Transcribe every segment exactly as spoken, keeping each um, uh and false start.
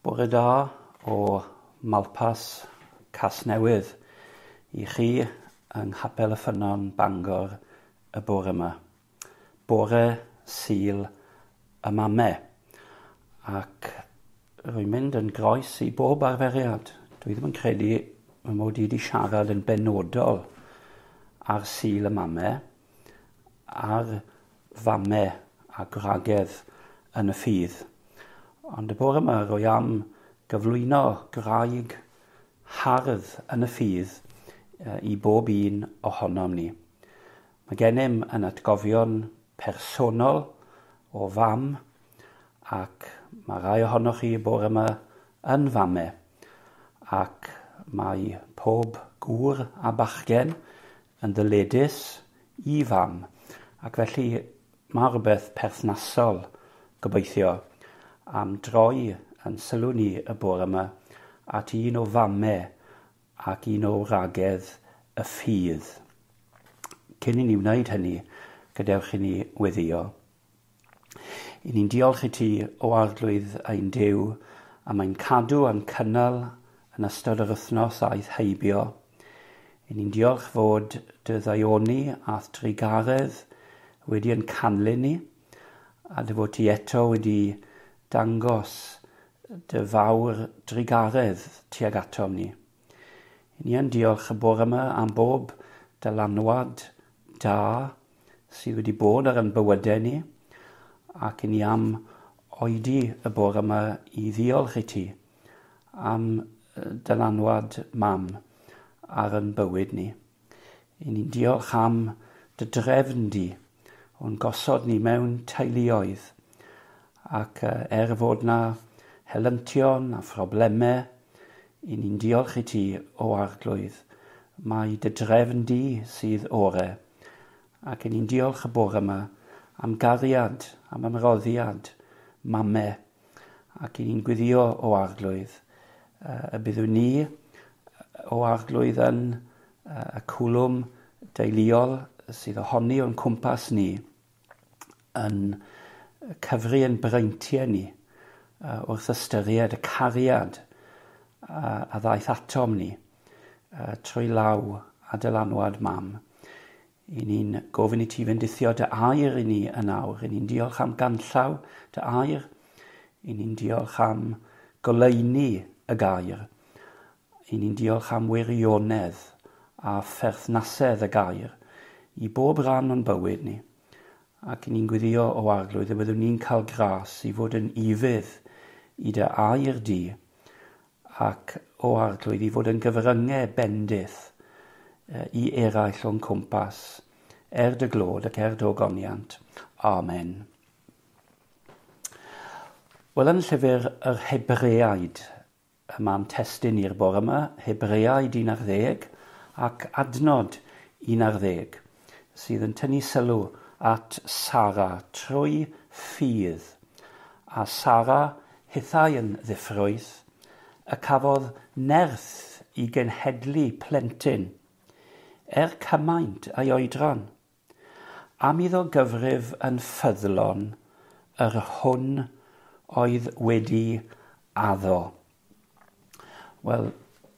Bore da o Malpas Casnewydd i chi yng Nghapel y Ffynnon Bangor y bore yma. Bore Sul y Mame. Ac rwy'n mynd yn groes i bob arferiad. Dwi ddim yn credu fy mod i wedi siarad yn benodol ar Sul y Mame, ar fame a gwragedd yn y ffydd. Ond y bore yma rwy am gyflwyno gwraig hardd yn y ffydd i bob un ohonom ni. Mae gennym yn atgofion personol o fam, ac mae rai ohonoch chi y bore yma yn fame, ac mae pob gŵr a bachgen yn ddyledus i fam, ac felly mae rhywbeth perthnasol gobeithio am droi yn sylw ni y bore yma at un o fame ac un o wragedd y ffydd. Cyn i ni wneud hynny, gadewch i ni weddïo. I ni'n diolch i ti o Arglwydd ein Duw am ein cadw a'n cynnal yn ystod yr wythnos aeth heibio. I ni'n diolch fod dy ddaioni a'th drugaredd wedi yn canlyn ni, a dy fod ti eto wedi dangos dy fawr drugaredd tuag atom ni. I ni yn diolch y bore yma am bob dylanwad da sydd wedi bod ar ein bywydau ni, ac i ni am oedi y bore yma i ddiolch i ti am dylanwad mam ar ein bywyd ni. I ni'n diolch am dy drefn di o'n gosod ni mewn teuluoedd, ac er fod na helyntion a phroblemau, i ni'n diolch i ti o Arglwydd. Mae dy drefn di sydd ore, ac i ni'n diolch y bore yma am gariad, am ymroddiad mame, ac i ni'n gweddio o Arglwydd y byddwn ni o Arglwydd yn y cwlwm deuluol sydd ohoni o'n cwmpas ni yn cyfri yn breintiau ni wrth ystyried y cariad a ddaeth atom ni trwy law a dylanwad mam. I ni'n gofyn i ti fendithio dy air i ni yn awr. I ni'n diolch am ganllaw dy air. I ni'n diolch am goleuni y gair. I ni'n diolch am wirionedd a pherthnasedd y gair i bob rhan o'n bywyd ni. Ac i ni'n gweddio o Arglwydd y byddwn ni'n cael gras i fod yn ufudd i dy air di, ac o Arglwydd i fod yn gyfryngau bendith i eraill o'n cwmpas, er dy glod ac er dy ogoniant. Amen. Wel, yn llyfr yr Hebreaid, y ma'n testun i'r bore yma, Hebreaid un ar ddeg ac adnod un ar ddeg, sydd yn tynnu sylw at Sara trwy ffydd. A Sara hithau yn ddiffrwyth, y cafodd nerth i genhedlu plentyn, er cymaint a'i oedran, am iddo gyfrif yn ffyddlon yr hwn oedd wedi addo. Wel,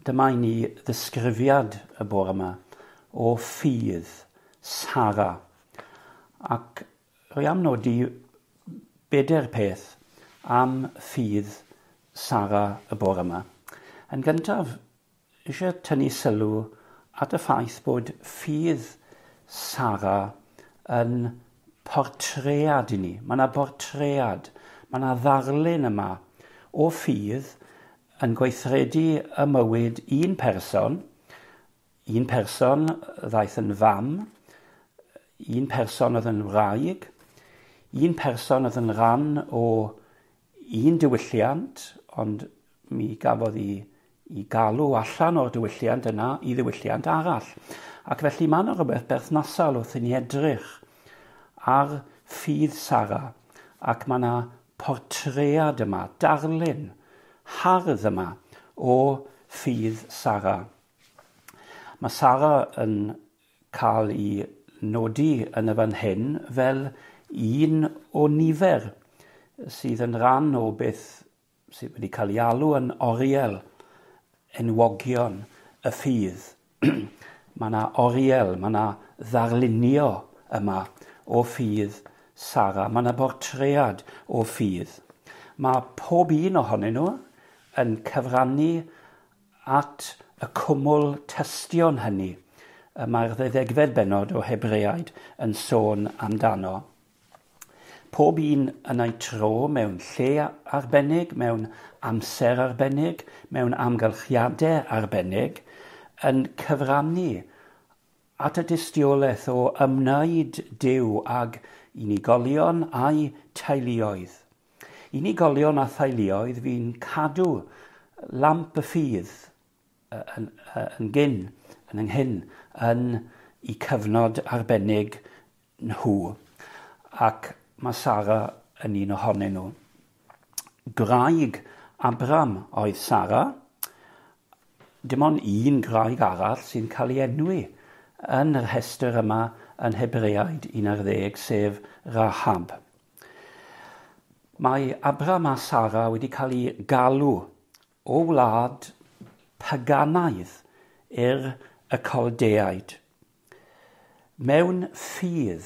dyma i ni ddisgrifiad y bore yma o ffydd Sara. Ac rwy am nodi bedair peth am ffydd Sara y bore yma. Yn gyntaf, eisiau tynnu sylw at y ffaith bod ffydd Sara yn portread i ni. Mae yna bortread, mae yna ddarlun yma o ffydd yn gweithredu y mywyd un person, un person ddaeth yn fam, un person oedd yn wraig, un person oedd yn rhan o un diwylliant, ond mi gafodd i, i galw allan o'r diwylliant yna i ddiwylliant arall. Ac felly mae yna rhywbeth berthnasol wrth i ni edrych ar ffydd Sara, ac mae yna portread yma, darlun hardd yma o ffydd Sara. Mae Sara yn cael ei nodi yn y fan hyn fel un o nifer sydd yn rhan o beth sydd wedi cael ei alw yn oriel enwogion y ffydd. Mae yna oriel, mae yna ddarlunio yma o ffydd Sara. Mae yna bortread o ffydd. Mae pob un ohonyn nhw yn cyfrannu at y cwmwl tystion hynny y mae'r ddeuddegfed bennod o Hebreaid yn sôn amdano. Pob un yn ei tro mewn lle arbennig, mewn amser arbennig, mewn amgylchiadau arbennig, yn cyfrannu at y dystiolaeth o ymwneud Duw ag unigolion a'i teuluoedd. Unigolion a theuluoedd fi'n cadw lamp y ffydd yn, yn gyn, yn ynghyn, yn eu cyfnod arbennig nhw. Ac mae Sara yn un ohonyn nhw. Gwraig Abram oedd Sara. Dim ond un gwraig arall sy'n cael ei enwi yn yr rhestr yma yn Hebreaid un ar ddeg, sef Rahab. Mae Abram a Sara wedi cael ei galw o wlad paganaidd i'r y Caldeaid. Mewn ffydd,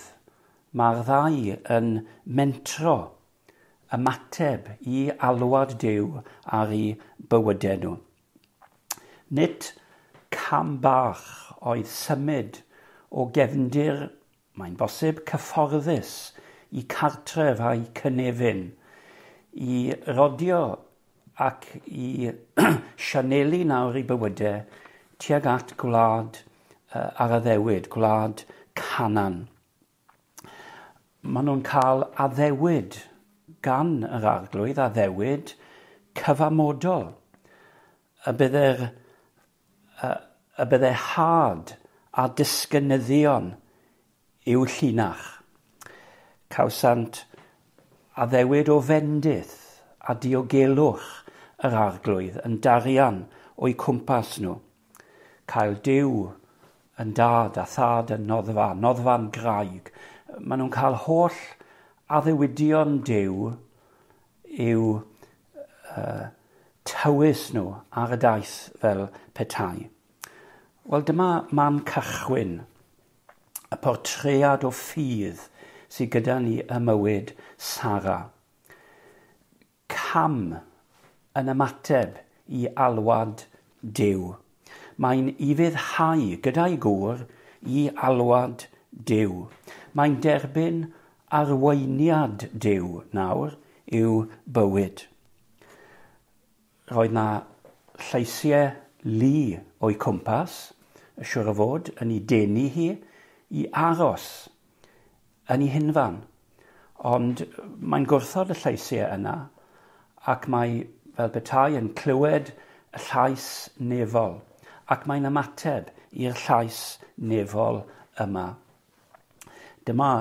mae'r ddau yn mentro ymateb i alwad Duw ar eu bywydau nhw. Nid cam bach oedd symud o gefndir, mae'n bosib, cyfforddus i cartref a'i cynefin, i rodio ac i sianelu nawr i bywydau tuag at gwlad uh, ar addewid, gwlad Canaan. Maen nhw'n cael addewid gan yr arglwydd, addewid cyfamodol. Y bydde'r, y, y bydde had a disgynyddion i'w llinach. Cawsant addewid o fendith a diogelwch yr arglwydd yn darian o'u cwmpas nhw. Cael Duw yn dad a thad yn noddfa, noddfa'n graig. Maen nhw'n cael holl addewidion Duw i'w uh, tywys nhw ar y daith fel petai. Wel, dyma man cychwyn, y portread o ffydd sydd gyda ni ym mywyd Sara. Cam yn ymateb i alwad Duw. Mae'n ufuddhau gyda'i gŵr i alwad Duw. Mae'n derbyn arweiniad Duw nawr i'w bywyd. Roedd na lleisiau lu o'i cwmpas, y siŵr o fod, yn ei denu hi i aros yn ei hunfan. Ond mae'n gwrthod y lleisiau yna ac mae fel petai yn clywed y llais nefol, ac mae'n ymateb i'r llais nefol yma. Dyma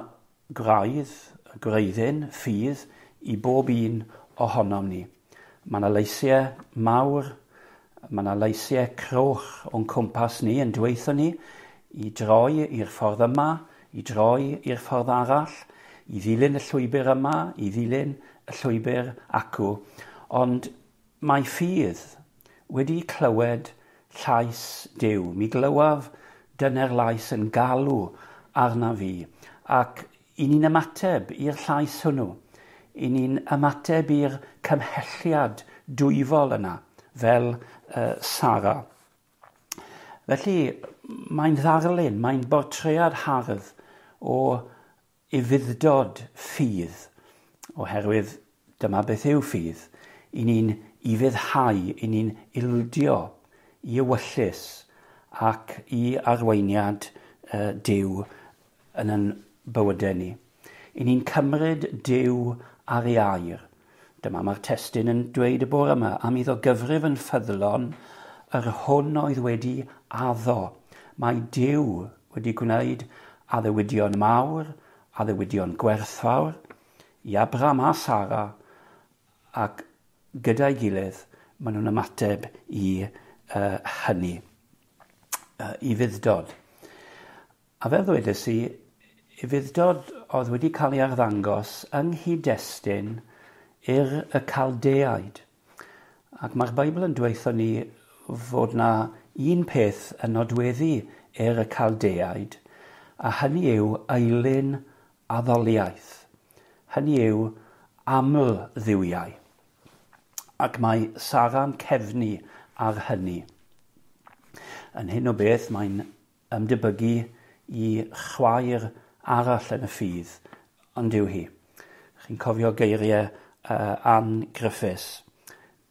graidd, gwreiddyn, ffydd i bob un ohonom ni. Mae yna leisiau mawr, mae yna leisiau croch o'n cwmpas ni yn dweutho ni i droi i'r ffordd yma, i droi i'r ffordd arall, i ddilyn y llwybr yma, i ddilyn y llwybr acw. Ond mae ffydd wedi clywed llais Duw. Mi glywaf dyner lais yn galw arna fi. Ac i ni'n ymateb i'r llais hwnnw. I ni'n ymateb i'r cymhelliad dwyfol yna, fel uh, Sara. Felly, mae'n ddarlun, mae'n bortread hardd o ufudd-dod ffydd, oherwydd dyma beth yw ffydd. I ni'n ufuddhau, i ni'n ildio i ewyllys ac i arweiniad uh, Duw yn ein bywydau ni. I ni'n cymryd Duw ar ei air. Dyma mae'r testun yn dweud y bore yma, am iddo gyfrif yn ffyddlon yr hwn oedd wedi addo. Mae Duw wedi gwneud addewidion mawr, addewidion gwerthfawr, i Abraham a Sara, ac gyda'i gilydd maen nhw'n ymateb i uh, hynny, uh, i fudd-dod. A fel ddwedes i, ufudd-dod oedd wedi cael ei arddangos yng nghyd-destun i'r y Caldeaid. Ac mae'r Beibl yn dweutho ni fod na un peth yn nodweddu er y Caldeaid, a hynny yw eilun addoliaeth. Hynny yw aml dduwiau. Ac mae Sara'n cefnu ar hynny. Yn hyn o beth mae'n ymdebygu i chwaer arall yn y ffydd, ond yw hi. Chi'n cofio geiriau uh, Ann Griffiths.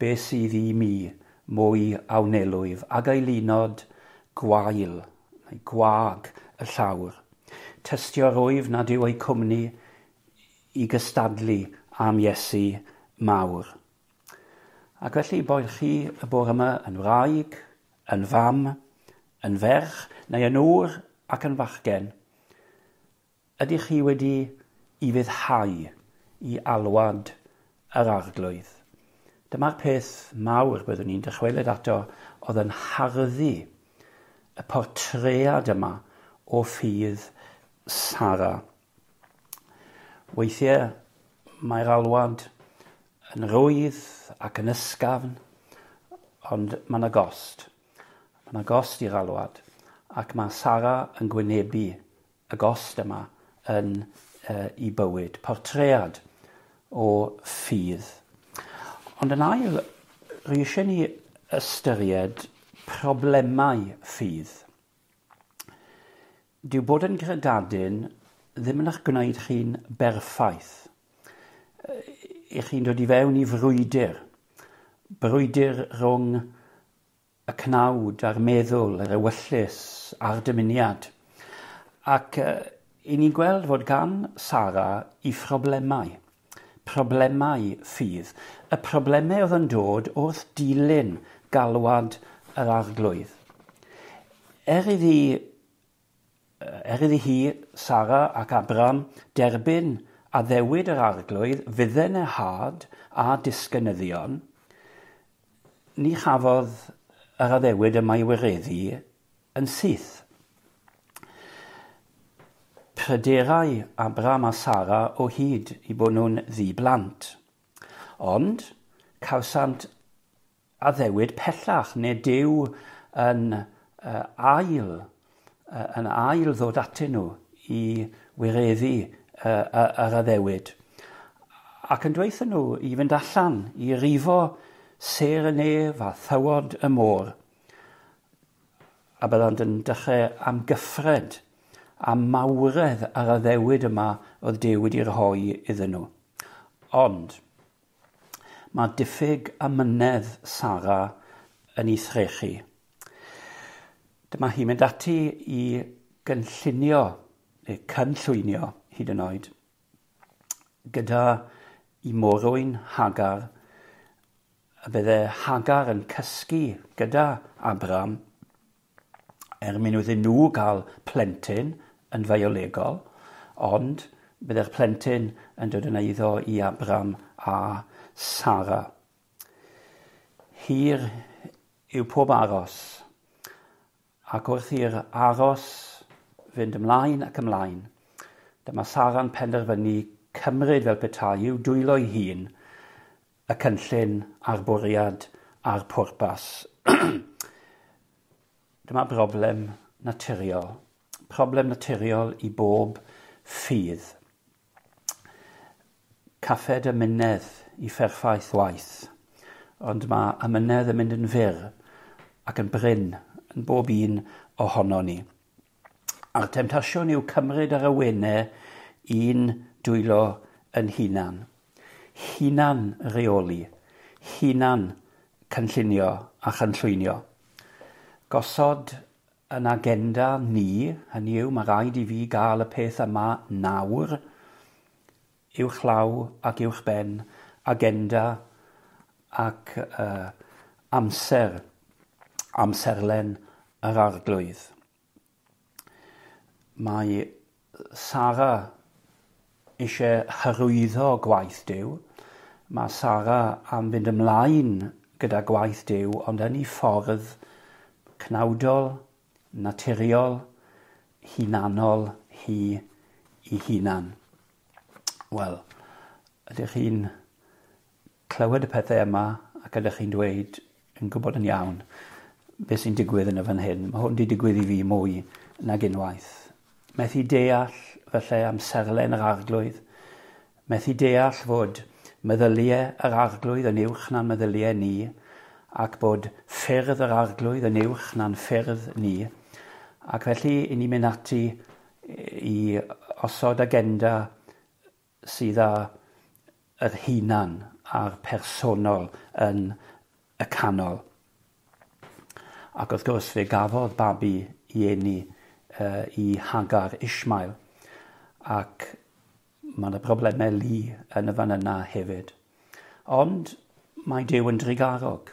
Be sydd i mi mwy a wnelwyf ag eilunod gwael, neu gwag y llawr. Tystio rwyf nad yw eu cwmni i gystadlu am Iesu mawr. Ac felly boed chi y bore yma yn wraig, yn fam, yn ferch, neu yn ŵr ac yn fachgen, ydych chi wedi ufuddhau i alwad yr Arglwydd? Dyma'r peth mawr byddwn ni'n dychwelyd ato oedd yn harddu y portread yma o ffydd Sara. Weithiau mae'r alwad yn rwydd ac yn ysgafn, ond mae yna gost. Mae yna gost i'r alwad, ac mae Sara yn gwynebu y gost yma yn uh, i bywyd. Portread o ffydd. Ond yn ail, rwy eisiau ni ystyried problemau ffydd. Dyw bod yn gredadun ddim yn eich gwneud chi'n berffaith. I chi'n dod i fewn i frwydr. Brwydr rhwng y cnawd a'r meddwl, yr ewyllys a'r dymuniad. Ac uh, i ni'n gweld fod gan Sara i phroblemau. Problemau ffydd. Y problemau oedd yn dod wrth dilyn galwad yr Arglwydd. Er iddi, er iddi hi, Sara ac Abraham, derbyn addewid yr Arglwydd, fydden y had a disgynyddion, ni chafodd yr addewid yma i wireddu yn syth. Pryderai Abraham a Sara o hyd i bod nhw'n ddi-blant. Ond cawsant addewid pellach, neu Duw yn uh, ail, uh, yn ail ddod atyn nhw i wireddu uh, yr addewid. Ac yn dweutho nhw i fynd allan, i rifo sêr y nef a thywod y môr. A byddant yn dechrau amgyffred a mawredd yr addewid yma oedd Duw wedi rhoi iddyn nhw. Ond mae diffyg amynedd Sara yn ei threchu. Dyma hi'n mynd ati i gynllunio, neu cynllwynio hyd yn oed, gyda i morwyn Hagar, a bydde Hagar yn cysgu gyda Abraham er mwyn iddyn nhw gael plentyn yn fiolegol, ond bydde'r plentyn yn dod yn eiddo i Abraham a Sara. Hir yw pob aros, ac wrth i'r aros fynd ymlaen ac ymlaen, dyma Sara'n penderfynu cymryd fel petai i'w dwylo'i hun y cynllun a'r bwriad a'r pwrpas. Dyma broblem naturiol. Problem naturiol i bob ffydd. Caffed amynedd i fferffaith waith, ond mae amynedd yn mynd yn fyr ac yn brin yn bob un ohono ni. A'r temtasiwn yw cymryd ar awenau un dwylo yn hunan. Hunan reoli, hunan cynllunio a chynllwynio. Gosod yn agenda ni, hynny yw, mae rhaid i fi gael y peth yma nawr, uwchlaw ac uwchben, agenda ac uh, amser, amserlen yr Arglwydd. Mae Sara eisiau hyrwyddo gwaith Duw. Mae Sara am fynd ymlaen gyda gwaith Duw, ond yn ei ffordd cnawdol, naturiol, hunanol hi i hunan. Wel, ydych chi'n clywed y pethau yma ac Ac ydych chi'n dweud, yn gwybod yn iawn, beth sy'n digwydd yn y fan hyn. Mae hwn wedi digwydd i fi mwy nag unwaith. Methu deall felly amserlen yr Arglwydd. Methu deall fod meddyliau yr Arglwydd yn uwch na'n meddyliau ni, ac bod ffyrdd yr Arglwydd yn uwch na'n ffyrdd ni. Ac felly, i ni mynd ati i osod agenda sydd â yr hunan a'r personol yn y canol. Ac wrth gwrs fe gafodd babi i eni uh, i Hagar Ishmael, ac mae yna broblemau lu yn y fan yna hefyd. Ond mae Duw yn drugarog.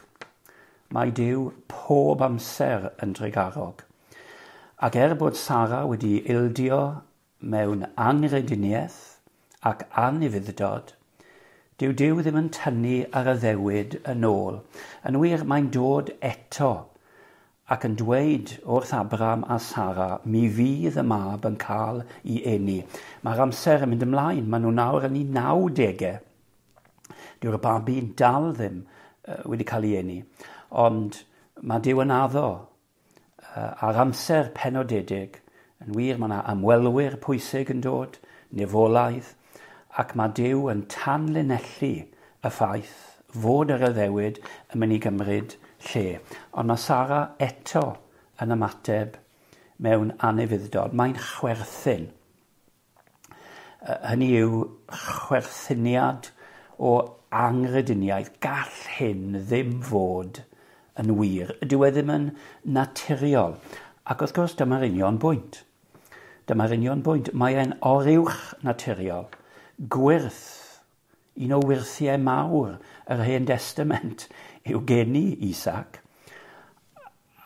Mae Duw pob amser yn drugarog. Ac er bod Sara wedi ildio mewn anghrediniaeth ac anufudd-dod, dyw Duw ddim yn tynnu ar addewid yn ôl. Yn wir, mae'n dod eto ac yn dweud wrth Abraham a Sara, mi fydd y mab yn cael ei eni. Mae'r amser yn mynd ymlaen, maen nhw nawr yn eu nawdegau. Dyw'r babi'n dal ddim wedi cael ei eni. Ond mae Duw yn addo ar amser penodedig. Yn wir, mae yna ymwelwyr pwysig yn dod, nefolaidd, ac mae Duw yn tanlinellu y ffaith fod yr addewid yn mynd i gymryd lle. Ond mae Sara eto yn ymateb mewn anufudd-dod. Mae'n chwerthin. Hynny yw chwerthiniad o anghrediniaeth. Gall hyn ddim fod yn wir. Dyw e ddim yn naturiol. Ac wrth gwrs dyma'r union bwynt. Dyma'r union bwynt. Mae e'n oruwch naturiol. Gwyrth, un o wyrthiau mawr yr Hen Destament yw geni Isaac.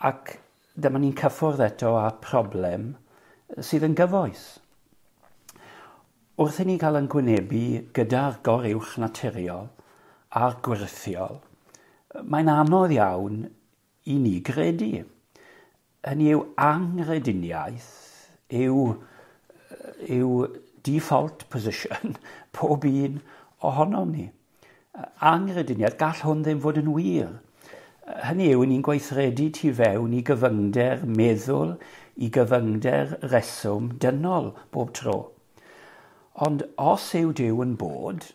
Ac dyma ni'n cyffwrdd eto â problem sydd yn gyfoes. Wrth i ni gael yn gwynebu gyda'r goruwch naturiol a'r gwyrthiol, mae'n anodd iawn i ni gredu. Hynny yw anghrediniaeth yw, yw default position pob un ohonom ni. Anghrediniaeth, gall hwn ddim fod yn wir. Hynny yw, ni'n gweithredu tu fewn i gyfyngder meddwl, i gyfyngder reswm dynol bob tro. Ond os yw Duw yn bod,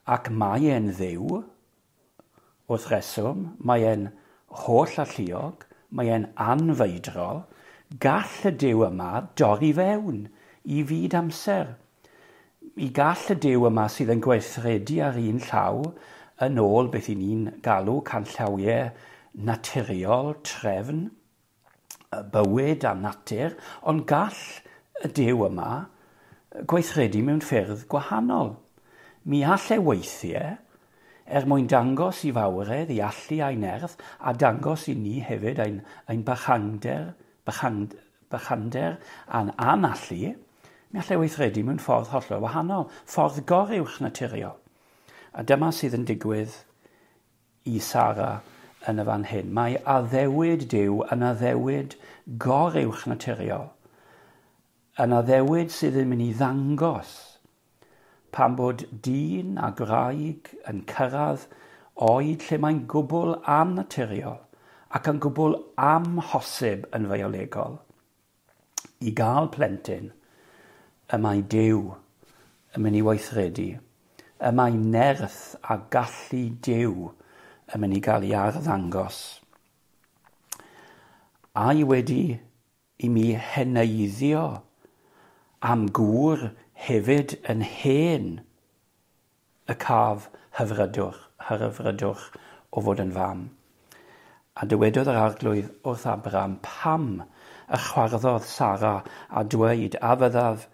ac mae e'n Dduw, wrth reswm, mae e'n holl alluog, mae e'n anfeidrol, gall y Duw yma dorri fewn i fyd amser. I gall y Duw yma sydd yn gweithredu ar un llaw yn ôl beth i ni'n galw canllawiau naturiol, trefn, bywyd a natur, ond gall y Duw yma gweithredu mewn ffyrdd gwahanol. Mi all e weithiau, er mwyn dangos i fawredd, i allu a'i nerth, a dangos i ni hefyd ein, ein bychander, bychand, bychander a'n anallu, mi all e weithredu mewn ffordd hollol wahanol, ffordd goruwch naturiol. A dyma sydd yn digwydd i Sara yn y fan hyn. Mae addewid Duw yn addewid goruwch naturiol, yn addewid sydd yn mynd i ddangos pan bod dyn a gwraig yn cyrraedd oed lle mae'n gwbl annaturiol ac yn gwbl amhosib yn fiolegol i gael plentyn, y mae Duw yn mynd i weithredu, y mae nerth a gallu Duw yn mynd i gael ei arddangos. Ai wedi i mi heneiddio am gŵr hefyd yn hen y caf hyfrydwch, hyfrydwch o fod yn fam. A dywedodd yr Arglwydd wrth Abraham, pam y chwarddodd Sara a dweud, a fyddaf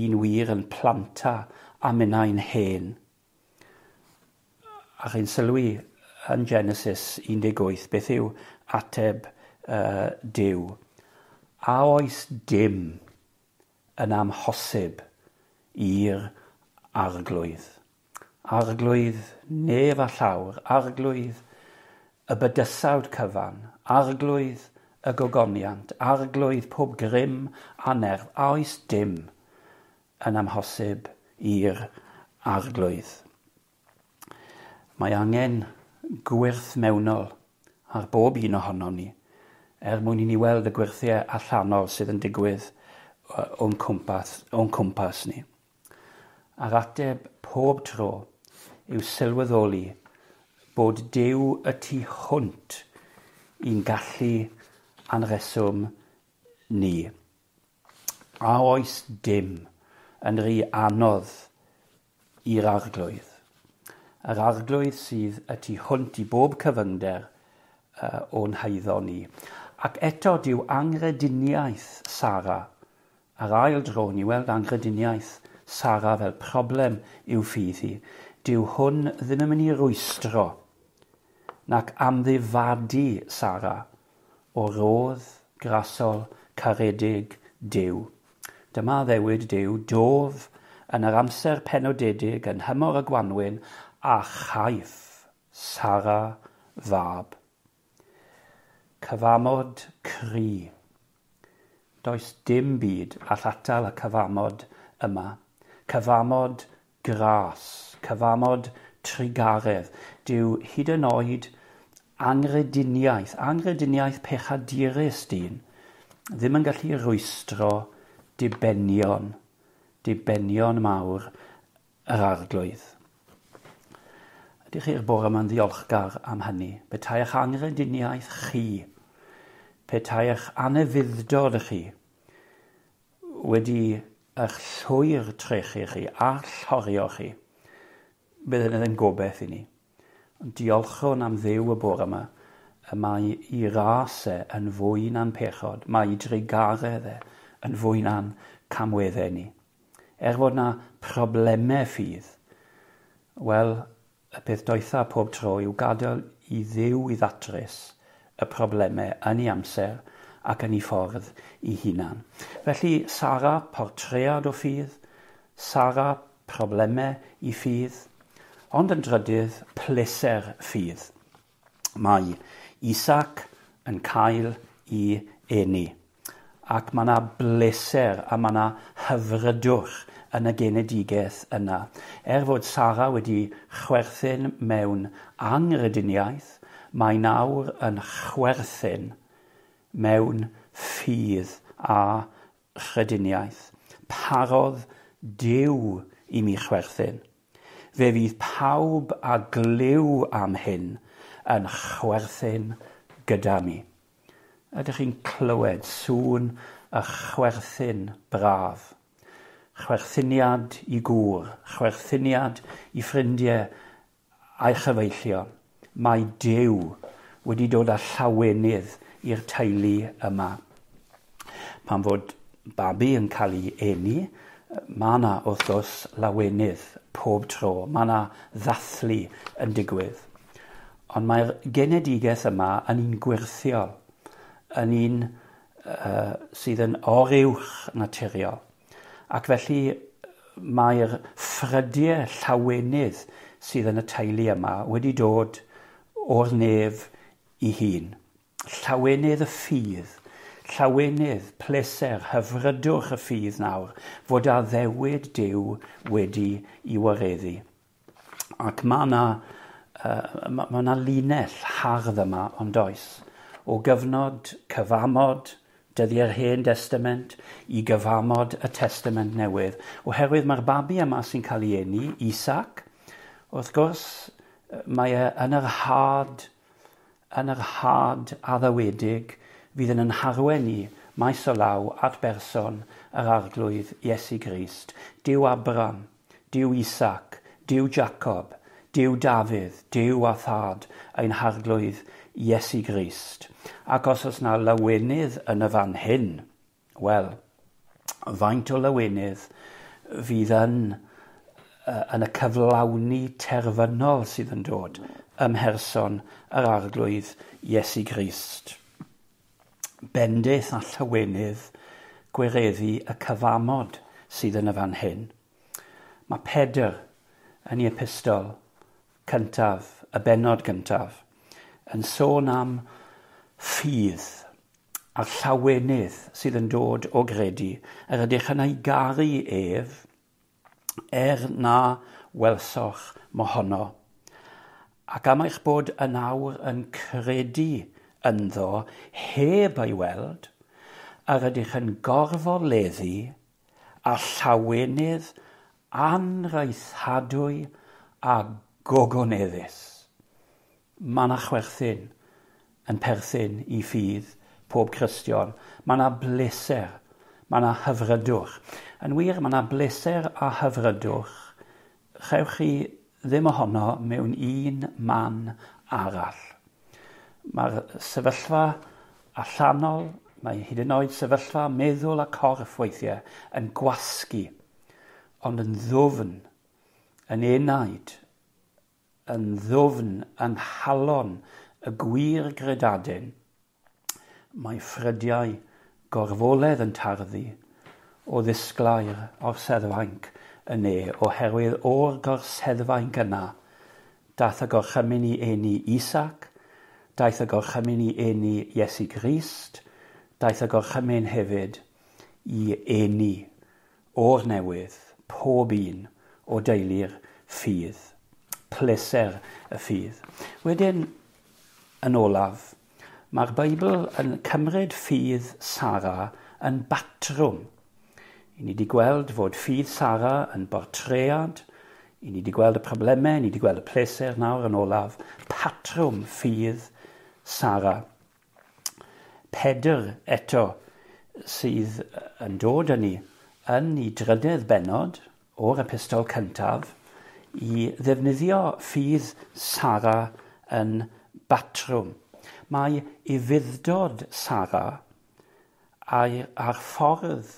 un wir yn planta a minnau'n hen. A chi'n sylwi yn Genesis un deg wyth, beth yw ateb uh, Duw? A oes dim yn amhosib i'r Arglwydd. Arglwydd nef a llawr, Arglwydd y bydysawd cyfan, Arglwydd y gogoniant, Arglwydd pob grym a nerth, a oes dim yn amhosib i'r Arglwydd. Mae angen gwyrth mewnol ar bob un ohonon ni, er mwyn i ni weld y gwyrthiau allanol sydd yn digwydd o'n cwmpas, o'n cwmpas ni. A'r ateb pob tro yw sylweddoli bod Duw y tu hwnt i'n gallu a'n rheswm ni. A oes dim yn rhy anodd i'r Arglwydd. Yr Arglwydd sydd y tu hwnt i bob cyfyngder uh, o'n haeddo ni. Ac eto dyw anghrediniaeth Sara, a'r ail dro ni weld anghrediniaeth Sara fel problem i'w ffydd hi, dyw hwn ddim yn mynd i rwystro nac amddifadu Sara o rodd grasol caredig Duw. Dyma addewid Duw, dof yn yr amser penodedig yn nhymor y gwanwyn a chaiff Sara fab. Cyfamod cry. Does dim byd all atal y cyfamod yma. Cyfamod gras, cyfamod trugaredd. Dyw hyd yn oed anghrediniaeth, anghrediniaeth pechadurus dyn, ddim yn gallu rwystro dibenion, dibenion mawr yr Arglwydd. Ydych chi'r bore yma'n ddiolchgar am hynny? Petai eich anghrediniaeth chi, petai eich anufudd-dod chi wedi eich llwyr trechu chi a llorio chi, bydd hynny ddim gobeith i ni. Ond diolchwn am Dduw y bore yma, y mae i ras e yn fwy na'n pechod, mae i drugaredd e yn fwy na'n camweddau ni. Er fod na problemau ffydd, wel, y peth doetha pob tro yw gadael i Dduw i ddatrys y problemau yn ei amser ac yn ei ffordd ei hunan. Felly, Sara, portread o ffydd, Sara, problemau i ffydd, ond yn drydydd, pleser ffydd. Mae Isaac yn cael ei eni, ac mae yna bleser a mae yna hyfrydwch yn y genedigaeth yna. Er fod Sara wedi chwerthin mewn anghrediniaeth, mae nawr yn chwerthin mewn ffydd a chrediniaeth. Parodd Duw i mi chwerthin. Fe fydd pawb a glyw am hyn yn chwerthin gyda mi. Ydych chi'n clywed sŵn y chwerthin braf? Chwerthiniad i gŵr, chwerthiniad i ffrindiau a'i chyfeillion. Mae Duw wedi dod â llawenydd i'r teulu yma. Pan fod babi yn cael ei eni, mae yna wrth gwrs lawenydd pob tro. Mae yna ddathlu yn digwydd. Ond mae'r genedigaeth yma yn un gwyrthiol, yn un uh, sydd yn oruwch naturiol. Ac felly mae'r ffrydiau llawenydd sydd yn y teulu yma wedi dod o'r nef i hun. Llawenydd y ffydd, llawenydd, pleser, hyfrydwch y ffydd nawr, fod addewid Duw wedi i wareddu. Ac mae yna uh, ma, ma yna linell hardd yma, ond oes, o gyfnod cyfamod dyddiau'r Hen Destament i gyfamod y Testament Newydd. Oherwydd mae'r babi yma sy'n cael ei eni, Isaac, wrth gwrs, mae e yn yr had, yn yr had addawedig fydd yn yn harwen ni maes o law at berson yr Arglwydd Iesu Grist. Duw Abraham, Duw Isaac, Duw Jacob, Duw Dafydd, Duw a Thad ein Harglwydd Iesu Grist. Ac os oes na lawenydd yn y fan hyn, wel, faint o lawenydd fydd yn, yn y cyflawni terfynol sydd yn dod ym mherson yr Arglwydd Iesu Grist. Bendith a llawenydd gwireddu y cyfamod sydd yn y fan hyn. Mae Pedr yn ei epistol cyntaf, y bennod gyntaf, yn sôn am ffydd a'r llawenydd sydd yn dod o gredu, yr ydych yn ei garu ef, er na welsoch mohono. Ac am eich bod yn awr yn credu ynddo heb ei weld, yr ydych yn gorfoleddu a llawenydd anraethadwy a gogoneddus. Mae yna chwerthin yn perthyn i ffydd pob Cristion. Mae yna bleser, mae yna hyfrydwch. Yn wir, mae yna bleser a hyfrydwch. Chewch chi ddim ohono mewn un man arall. Mae'r sefyllfa allanol, mae hyd yn oed sefyllfa meddwl a corff weithiau yn gwasgu, ond yn ddwfn, yn enaid, yn ddwfn yng nghalon y gwir gredadun, mae ffrydiau gorfoledd yn tarddu o ddisglair orseddfainc y ne, oherwydd o'r gorseddfainc yna daeth y gorchymyn i eni Isaac, daeth y gorchymyn i eni Iesu Grist, daeth y gorchymyn hefyd i eni o'r newydd pob un o deulu'r ffydd, pleser y ffydd. Wedyn, yn olaf, mae'r Beibl yn cymryd ffydd Sara yn batrwm. I ni wedi gweld fod ffydd Sara yn bortread, i ni wedi gweld y problemau, i ni wedi gweld y pleser nawr yn olaf, patrwm ffydd Sara. Pedr eto sydd yn dod â ni yn ei drydedd bennod o'r epistol cyntaf i ddefnyddio ffydd Sara yn batrwm. Mae ufudd-dod Sara a'r, a'r ffordd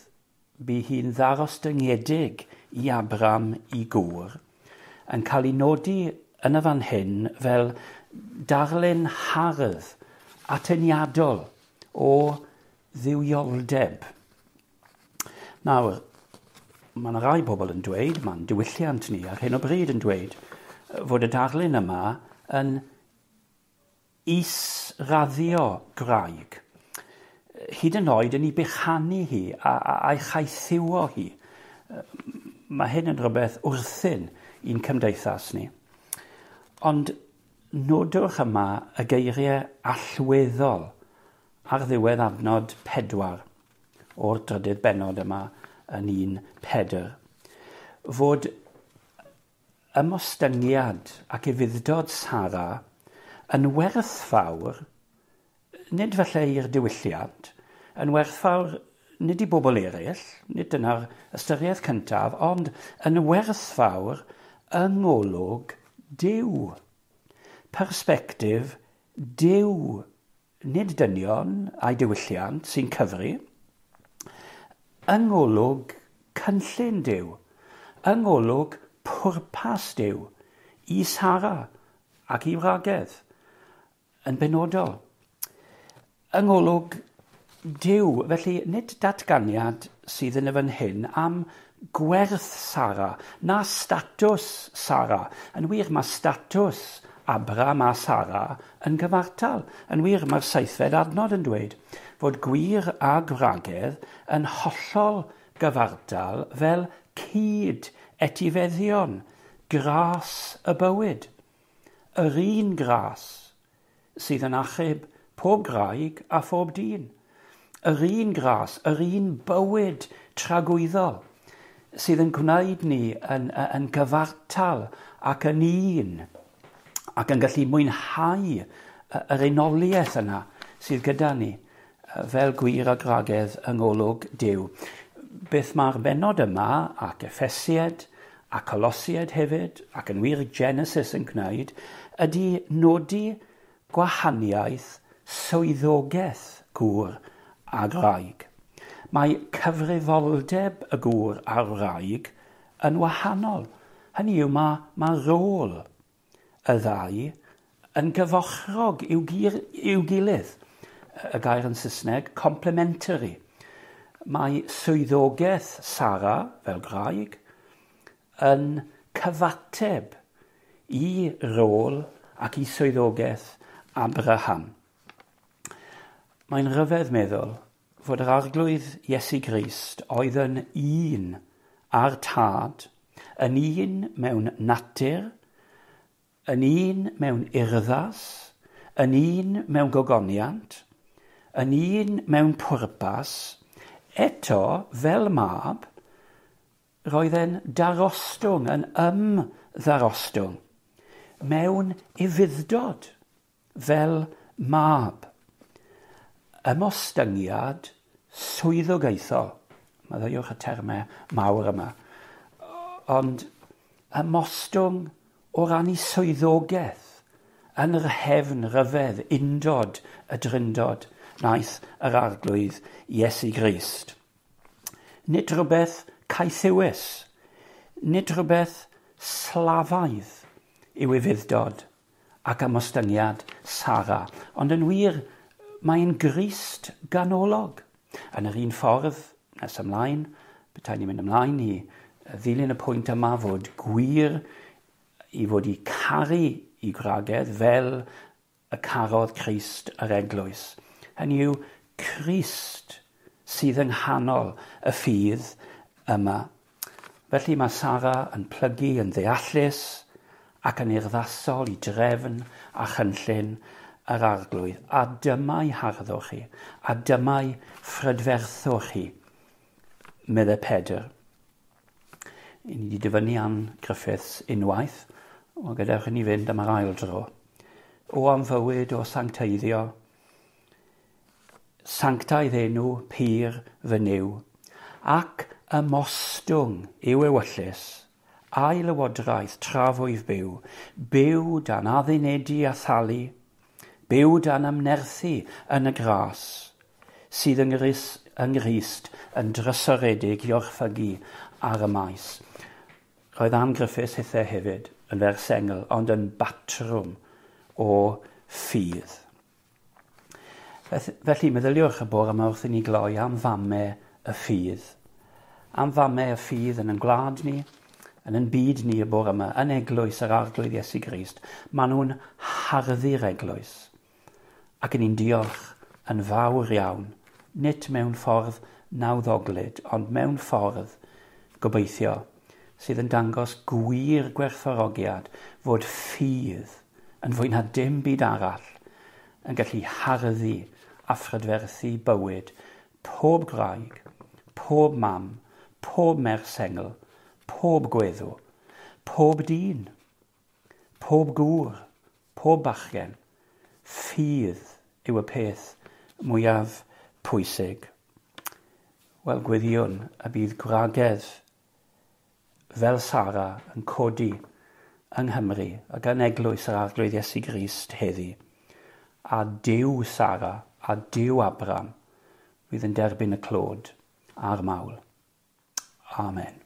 bu hi'n ddarostyngedig i Abram i gŵr yn cael ei nodi yn y fan hyn fel darlun hardd atyniadol o dduwioldeb. Nawr, mae yna rai bobl yn dweud, mae'n diwylliant ni ar hyn o bryd yn dweud, fod y darlun yma yn israddio gwraig. Hyd yn oed yn ei bychanu hi a, a, a'i chaethiwo hi. Mae hyn yn rhywbeth wrthyn i'n cymdeithas ni. Ond nodwch yma y geiriau allweddol ar ddiwedd adnod pedwar o'r drydydd bennod yma yn un Pedr. Fod ymostyngiad ac ufudd-dod Sara yn werthfawr, nid falle i'r diwylliant, yn werthfawr nid i bobl eraill, nid dyna'r ystyriaeth cyntaf, ond yn werthfawr yng ngolwg Duw. Persbectif Duw, nid dynion a'i diwylliant sy'n cyfri, yng ngolwg cynllun Duw, yng ngolwg pwrpas Duw i Sara ac i wragedd yn benodol. Yng ngolwg Duw, felly nid datganiad sydd yn y fan hyn am gwerth Sara, na statws Sara. Yn wir, mae statws Abram a Sara yn gyfartal. Yn wir, mae'r seithfed adnod yn dweud fod gwir a gwragedd yn hollol gyfartal fel cyd etifeddion, gras y bywyd. Yr un gras sydd yn achub pob graig a phob dyn. Yr un gras, yr un bywyd tragwyddol sydd yn gwneud ni yn, yn gyfartal ac yn un ac yn gallu mwynhau yr unoliaeth yna sydd gyda ni fel gwir a gwragedd yng ngolwg Duw. Beth mae'r bennod yma ac Effesiaid a Colosiaid hefyd ac yn wir Genesis yn gwneud ydy nodi gwahaniaeth swyddogaeth gŵr a gwraig. Mae cyfrifoldeb y gŵr a'r wraig yn wahanol. Hynny yw, mae, mae rôl y ddau yn gyfochrog i'w, gir, i'w gilydd. Y gair yn Saesneg, complementary. Mae swyddogaeth Sara, fel gwraig, yn cyfateb i rôl ac i swyddogaeth Abraham. Mae'n rhyfedd meddwl fod yr Arglwydd Iesu Grist oedd yn un â'r Tad, yn un mewn natur, Yn un mewn urddas, yn un mewn gogoniant, yn un mewn pwrpas, eto fel mab, roedd e'n darostwng, yn ymddarostwng, mewn ufudd-dod fel mab. Ymostyngiad swyddogaethol. Maddeuwch y termau mawr yma. Ond ymostwng o ran ei swyddogaeth yn yr hefn ryfedd undod y Drindod wnaeth yr Arglwydd Iesu Grist. Nid rhywbeth caethiwus, nid rhywbeth slafaidd yw ufudd-dod ac ymostyngiad Sara, ond yn wir mae'n Grist ganolog. Yn yr un ffordd, nes ymlaen, petai ni'n mynd ymlaen i ddilyn y pwynt yma fod gwŷr i fod i caru eu gwragedd fel y carodd Crist yr eglwys. Hynny yw, Crist sydd yng nghanol y ffydd yma. Felly mae Sara yn plygu yn ddeallus ac yn urddasol i drefn a chynllun yr Arglwydd. A dyma'i harddwch chi, a dyma'i phrydferthwch chi, meddai Pedr. I ni wedi dyfynnu Ann Griffiths unwaith, wel gadewch i ni fynd am yr ail dro. O am fywyd o sancteiddio, sanctaidd enw pur fy Nuw, ac ymostwng i'w ewyllys, a'i lywodraeth tra fwyf byw, byw dan addunedu a thalu, byw dan ymnerthu yn y gras, sydd yng Nghrist yn drysoredig i orchfygu ar y maes. Roedd Ann Griffiths hithe hefyd yn ferch sengl, ond yn batrwm o ffydd. Felly, meddyliwch y bore yma wrth i ni gloi am famau y ffydd. Am famau y ffydd yn ein gwlad ni, yn ein byd ni y bore yma, yn eglwys yr Arglwydd Iesu Grist. Maen nhw'n harddu'r eglwys. Ac yn ni'n diolch yn fawr iawn, nid mewn ffordd nawddoglyd, ond mewn ffordd gobeithio sydd yn dangos gwir gwerthfawrogiad fod ffydd yn fwy na dim byd arall yn gallu harddu a phrydferthu bywyd pob gwraig, pob mam, pob merch sengl, pob gweddw, pob dyn, pob gŵr, pob bachgen. Ffydd yw y peth mwyaf pwysig. Wel, gweddïwn y bydd gwragedd fel Sara yn codi yng Nghymru ac yn eglwys yr Arglwydd Iesu Grist heddi. A Duw Sara a Duw Abraham fydd yn derbyn y clod a'r mawl. Amen.